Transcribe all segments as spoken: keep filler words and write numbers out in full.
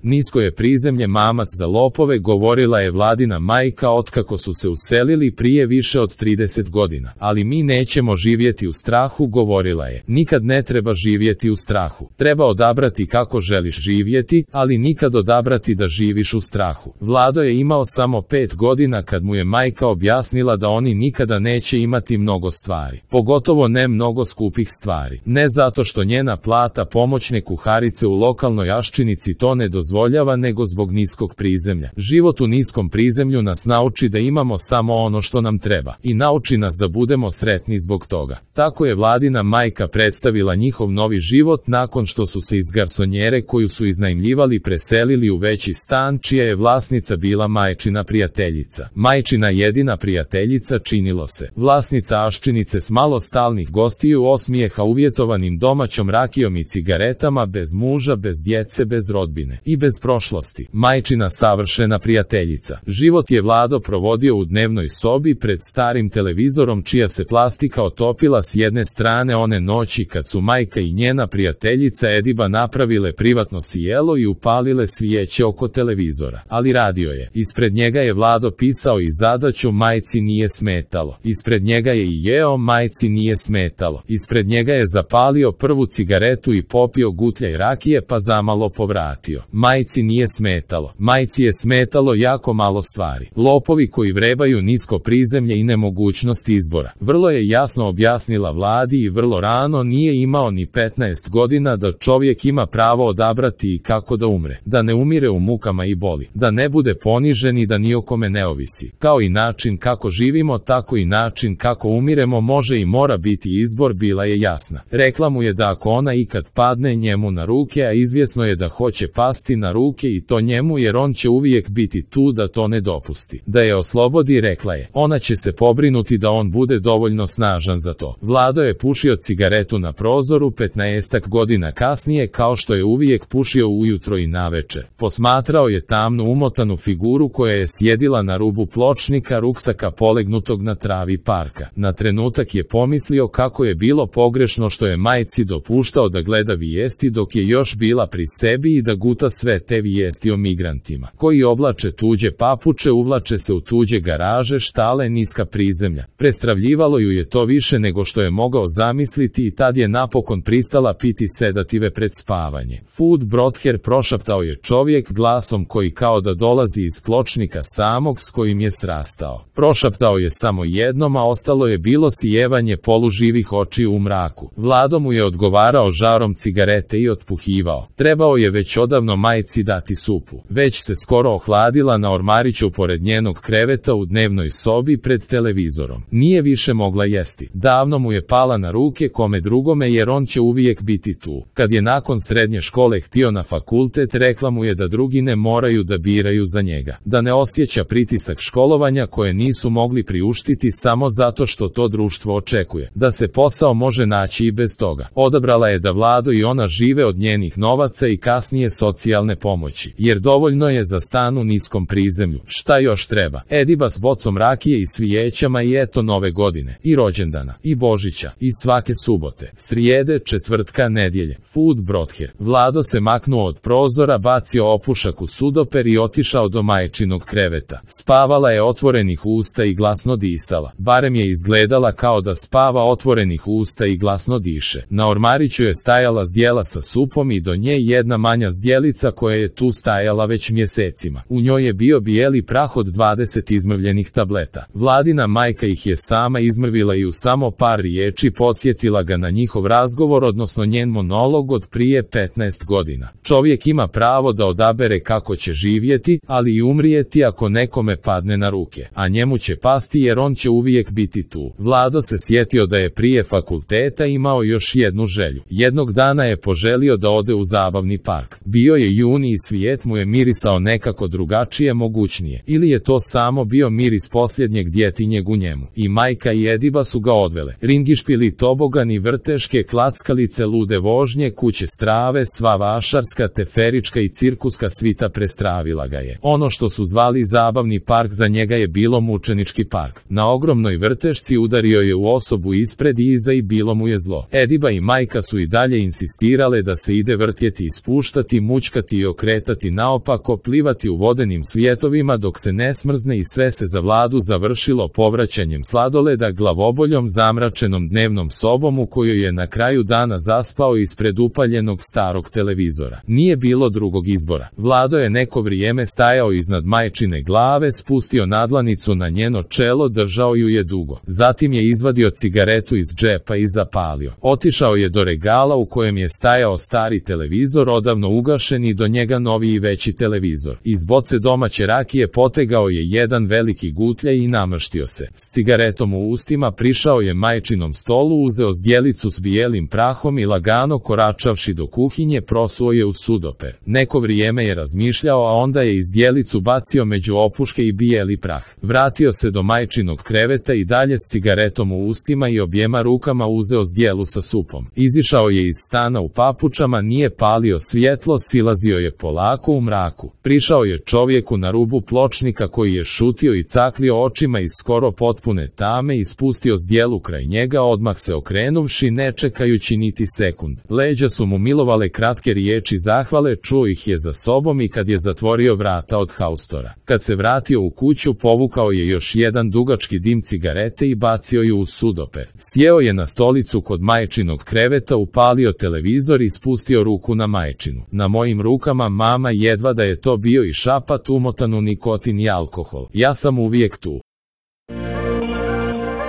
Nisko je prizemlje mamac za lopove, govorila je Vladina majka otkako su se uselili prije više od trideset godina. Ali mi nećemo živjeti u strahu, govorila je. Nikad ne treba živjeti u strahu. Treba odabrati kako želiš živjeti, ali nikad odabrati da živiš u strahu. Vlado je imao samo pet godina kad mu je majka objasnila da oni nikada neće imati mnogo stvari. Pogotovo ne mnogo skupih stvari. Ne zato što njena plata pomoćne kuharice u lokalnoj Aščinici to ne dozvoljava, nego zbog niskog prizemlja. Život u niskom prizemlju nas nauči da imamo samo ono što nam treba i nauči nas da budemo sretni zbog toga. Tako je Vladina majka predstavila njihov novi život nakon što su se iz garsonjere koju su iznajmljivali preselili u veći stan čija je vlasnica bila majčina prijateljica. Majčina jedina prijateljica, činilo se. Vlasnica Aščinice s malo stalnih gostiju, osmijeha uvjetovanim domaćom rakijom i cigaretama, bez muža, bez djece, bez rodbine i bez prošlosti. Majčina savršena prijateljica. Život je Vlado provodio u dnevnoj sobi pred starim televizorom čija se plastika otopila s jedne strane one noći kad su majka i njena prijateljica Ediba napravile privatno sjelo i upalile svijeće oko televizora. Ali radio je. Ispred njega je Vlado pisao i zadaću, majci nije smetalo. Ispred njega je i jeo, majci nije smetalo. Ispred njega je zapalio prvu cigaretu i popio gutljaj rakije pa zamalo povratio. Majci nije smetalo. Majci je smetalo jako malo stvari. Lopovi koji vrebaju nisko prizemlje i nemogućnost izbora. Vrlo je jasno objasnila Vladi i vrlo rano, nije imao ni petnaest godina, da čovjek ima pravo odabrati i kako da umre. Da ne umire u mukama i boli. Da ne bude ponižen i da ni o kome ne ovisi. Kao i način kako živimo, tako i način kako umiremo može i mora biti izbor, bila je jasna. Rekla mu je da ako ona ikad padne njemu na ruke, a izvjesno je da hoće pasti na ruke i to njemu, jer on će uvijek biti tu da to ne dopusti. Da je oslobodi, rekla je. Ona će se pobrinuti da on bude dovoljno snažan za to. Vlado je pušio cigaretu na prozoru petnaestak godina kasnije, kao što je uvijek pušio ujutro i navečer. Posmatrao je tamnu umotanu figuru koja je sjedila na rubu pločnika ruksaka polegnutog na travi parka. Na trenutak je pomislio kako je bilo pogrešno što je majci dopuštao da gleda vijesti dok je još bila pri sebi i da guta sve te vijesti o migrantima koji oblače tuđe papuče, uvlače se u tuđe garaže, štale, niska prizemlja. Prestravljivalo ju je to više nego što je mogao zamisliti i tad je napokon pristala piti sedative pred spavanje. Food Brother, prošaptao je čovjek glasom koji kao da dolazi iz pločnika samog s kojim je srastao. Prošaptao je samo jednom, a ostalo je bilo sijevanje poluživih očiju u mraku. Vlado mu je odgovarao žarom cigarete i otpuhivao. Trebao je već odavno majci dati supu. Već se skoro ohladila na ormariću pored njenog kreveta u dnevnoj sobi pred televizorom. Nije više mogla jesti. Davno mu je pala na ruke, kome drugome, jer on će uvijek biti tu. Kad je nakon srednje škole htio na fakultet, rekla mu je da drugi ne moraju da biraju za njega. Da ne osjeća pritisak školovanja koje nisu mogli priuštiti samo zato što to društvo očekuje. Da se posao može naći i bez toga. Odabrala je da Vlado i ona žive od njenih novaca i kasnije socijalne pomoći. Jer dovoljno je za stan u niskom prizemlju. Šta još treba? Ediba s bocom rakije i svijećama i eto nove godine. I rođendana. I Božića. I svake subote. Srijede, četvrtka, nedjelje. Food Brother. Vlado se maknuo od prozora, bacio opušak u sudoper i otišao do majčinog kreveta. Spavala je otvorenih usta i glasno disala. Barem je izgledala kao da spava otvorenih usta i glasno diše. Na ormariću je stajala zdjela sa supom i do nje jedna manja zdjelica koja je tu stajala već mjesecima. U njoj je bio bijeli prah od dvadeset izmrvljenih tableta. Vladina majka ih je sama izmrvila i u samo par riječi podsjetila ga na njihov razgovor, odnosno njen monolog od prije petnaest godina. Čovjek ima pravo da odabere kako će živjeti, ali i umrijeti ako nekome padne na ruke. A njemu će pasti jer on će uvijek biti tu. Vlado se sjetio da je prije fakulteta imao još jednu želju. Jednog dana je poželio da ode u zabavni park. Bio je juni i svijet mu je mirisao nekako drugačije, mogućnije. Ili je to samo bio miris posljednjeg djetinjeg u njemu. I majka i Ediba su ga odvele. Ringišpili, tobogani, vrteške, klackalice, lude vožnje, kuće strave, sva vašarska, teferička i cirkuska svita prestravila ga je. Ono što su zvali zabavni park za njega je bilo mučenički park. Na ogromnoj vrtešci udario je u osobu ispred i iza i bilo mu je zlo. Ediba i majka su i dalje insistirale da se ide vrtjeti i spuštati, mućkati plivati i okretati naopako, plivati u vodenim svijetovima dok se ne smrzne i sve se za Vladu završilo povraćanjem sladoleda glavoboljom zamračenom dnevnom sobom u kojoj je na kraju dana zaspao ispred upaljenog starog televizora. Nije bilo drugog izbora. Vlado je neko vrijeme stajao iznad majčine glave, spustio nadlanicu na njeno čelo, držao ju je dugo. Zatim je izvadio cigaretu iz džepa i zapalio. Otišao je do regala u kojem je stajao stari televizor, odavno ugašen, i do njega novi i veći televizor. Iz boce domaće rakije potegao je jedan veliki gutljaj i namrštio se. S cigaretom u ustima prišao je majčinom stolu, uzeo zdjelicu s bijelim prahom i lagano koračavši do kuhinje prosuo je u sudoper. Neko vrijeme je razmišljao, a onda je zdjelicu bacio među opuške i bijeli prah. Vratio se do majčinog kreveta i dalje s cigaretom u ustima i objema rukama uzeo zdjelu sa supom. Izišao je iz stana u papučama, nije palio svjetlo, silazio je polako u mraku. Prišao je čovjeku na rubu pločnika koji je šutio i caklio očima iz skoro potpune tame i spustio zdjelu kraj njega, odmah se okrenuvši, ne čekajući niti sekund. Leđa su mu milovale kratke riječi zahvale, čuo ih je za sobom i kad je zatvorio vrata od haustora. Kad se vratio u kuću, povukao je još jedan dugački dim cigarete i bacio ju u sudoper. Sjeo je na stolicu kod majčinog kreveta, upalio televizor i spustio ruku na majčinu. Na mojim rukama, mama, jedva da je to bio i šapat umotan u nikotin i alkohol. Ja sam uvijek tu.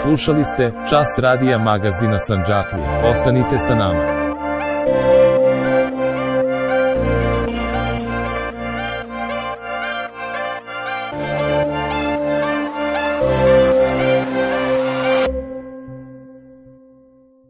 Slušali ste Čas radija magazina Sandžaklija. Ostanite sa nama.